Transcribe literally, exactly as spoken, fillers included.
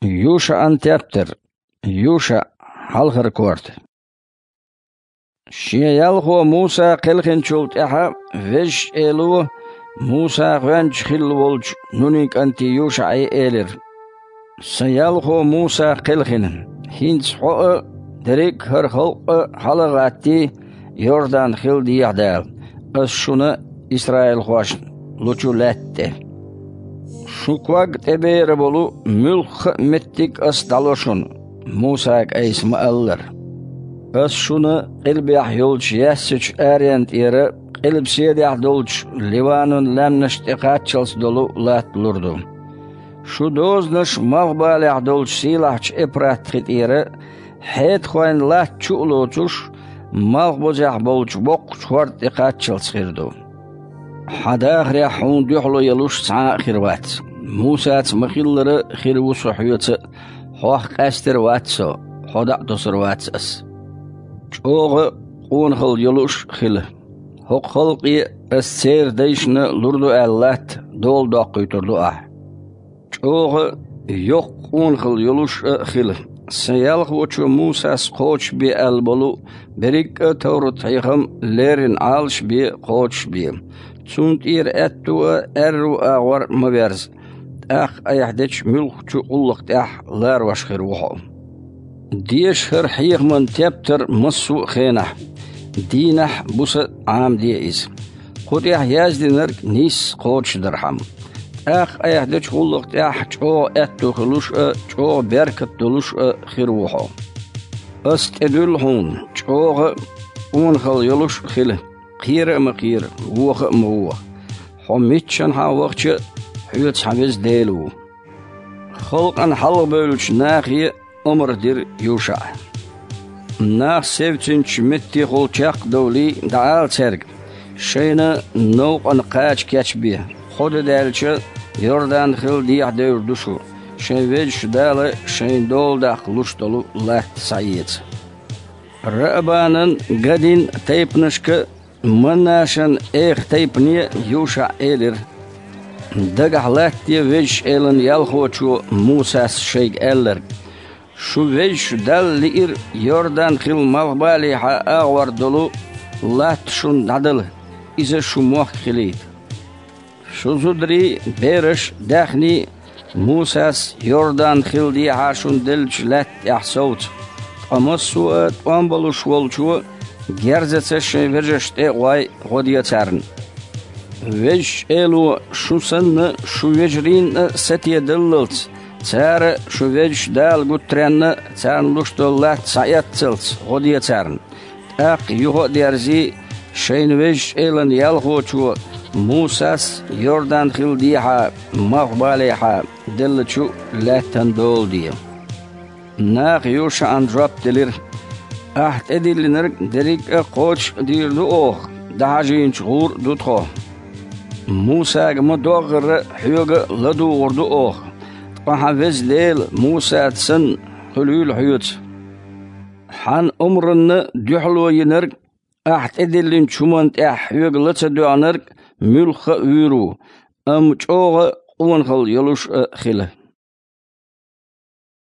ЮшаӀан тептар. ЮшаӀ, хьалхара корта. Шен ялхо Муса кхелхинчул тӀаьхьа Везачу Эло Муса гӀоьнча хилла волчу Нунин кӀанте ЮшаӀе элира: «Сан ялхо Муса кхелхина, хӀинца хьо а, дерриг а хӀара халкъ а хьала а гӀаттий, Йордан-хил дехьа Дала, ас шуна, исраилхошна, лучу лаьтта тӀе. Шун ког тӀебера болу муьлхха а меттиг ас дӀало шуна, Мусага айса ма-аллара. Ас шуна къилбехь йолчу яьссачу аренна тӀера къилбаседехь долчу Ливанан лаьмнаш тӀе кхаччалц долу латта лур ду. Шун дозанаш малхбалехь долчу сийлахьчу Эпрат-хи тӀера хьетахойн латта чу а лоцуш, малхбузехь болчу боккхачу хӀорда тӀе кхаччалц хир ду. Хьан дахарехь хьуна дуьхьало ялуш цхьа а хир вац. Мусаца ма-хиллара, хир ву со хьоьца а, хьох къаьстар а вац со, хьо дӀа а тосур вац ас. ЧӀогӀа къонахалла йолуш а хила. ХӀокху халкъе ас церан дайшна лур ду аьлла латта дола доккхуьйтур ду ахь. ЧӀогӀа йоккха къонахалла йолуш а хила. Сан ялхочо Мусас кхочушбе аьлла болу берриг а товрат-хьехам леррина Ӏалашбе, кхочушбе. Цунна тӀера аьтту а, аьрру а агӀор ма верза. ТӀаккха айхьа дечу муьлххачу гӀуллакх тӀехь ларош хир ву хьо. Деша хӀара хьехаман тептар массо а хенахь, дийнахь а, буса а Ӏамаде иза. Кху тӀехь яздинарг нийсса кхочушдархьама. ТӀаккха айхьа дечу гӀуллакх тӀехь чӀогӀа аьтту хуьлуш а, чӀогӀа беркат долуш а хир ву хьо. Ас тӀедуьллу хьуна, чӀогӀа а къонахалла йолуш а хила, кхера а ма кхера, воха а ма воха. Хьо миччанхьа вахча а, хьоьца хьан Веза Дела ву». Халкъана хьалхабевллачу нахе омра дира ЮшаӀа: «Нах севцинчу меттехула чекхдовлий, дӀаала цаьрга: „Шайна новкъана кхача кечбе, кхо де даьлча, Йордан-хил дехьа девр ду шу, шайн Везачу Дала шайна дола даккха луш долу латта схьаэца“». Раабанан, Гадин тайпанашка, Манашан эха тайпане ЮшаӀа элира: «Дагахь латтаде Везачу Элан ялхочо Мусас шайга аьлларг: „Шу Везачу Далла лиира Йордан-хил малхбалехьа агӀор долу латта шуна дӀадала, иза шун мохк хилийта“». Шун зударий, бераш, даьхний Мусас Йордан-хил дехьа шуна деллачу лаьтта тӀехь совцу, ткъа массо а тӀом балуш волчо герзаца шайн вежаршна тӀе а гӀой, гӀо де царна. Везачу Эло шун санна, шун вежарийн а сатедаллалц, цара шун Везачу Дала гуттаренна царна луш долу латта схьаэццалц, гӀо де царна. ТӀаккха юха а дерзий, шайна Везачу Элан ялхочо Мусас Йордан-хил дехьа, малхбалехьа, деллачу лаьттан дола де. Наха ЮшаӀан жоп делира: «Ахь тӀедиллинарг дерриг а кхочуш а дийр ду оха, дӀахьажийначу гӀур а ду тхо. Мусага ма-доггӀара, хьоьга а ладугӀур ду оха, ткъа хьан Веза Дела Мусаца санна хуьлийла хьоьца. Хьан омранна дуьхьало йинарг, ахь тӀедиллинчу хӀуманна тӀехь хьоьга ла ца доьгӀнарг муьлхха а вуьйр ву, амма чӀогӀа а къонахалла йолуш а хила».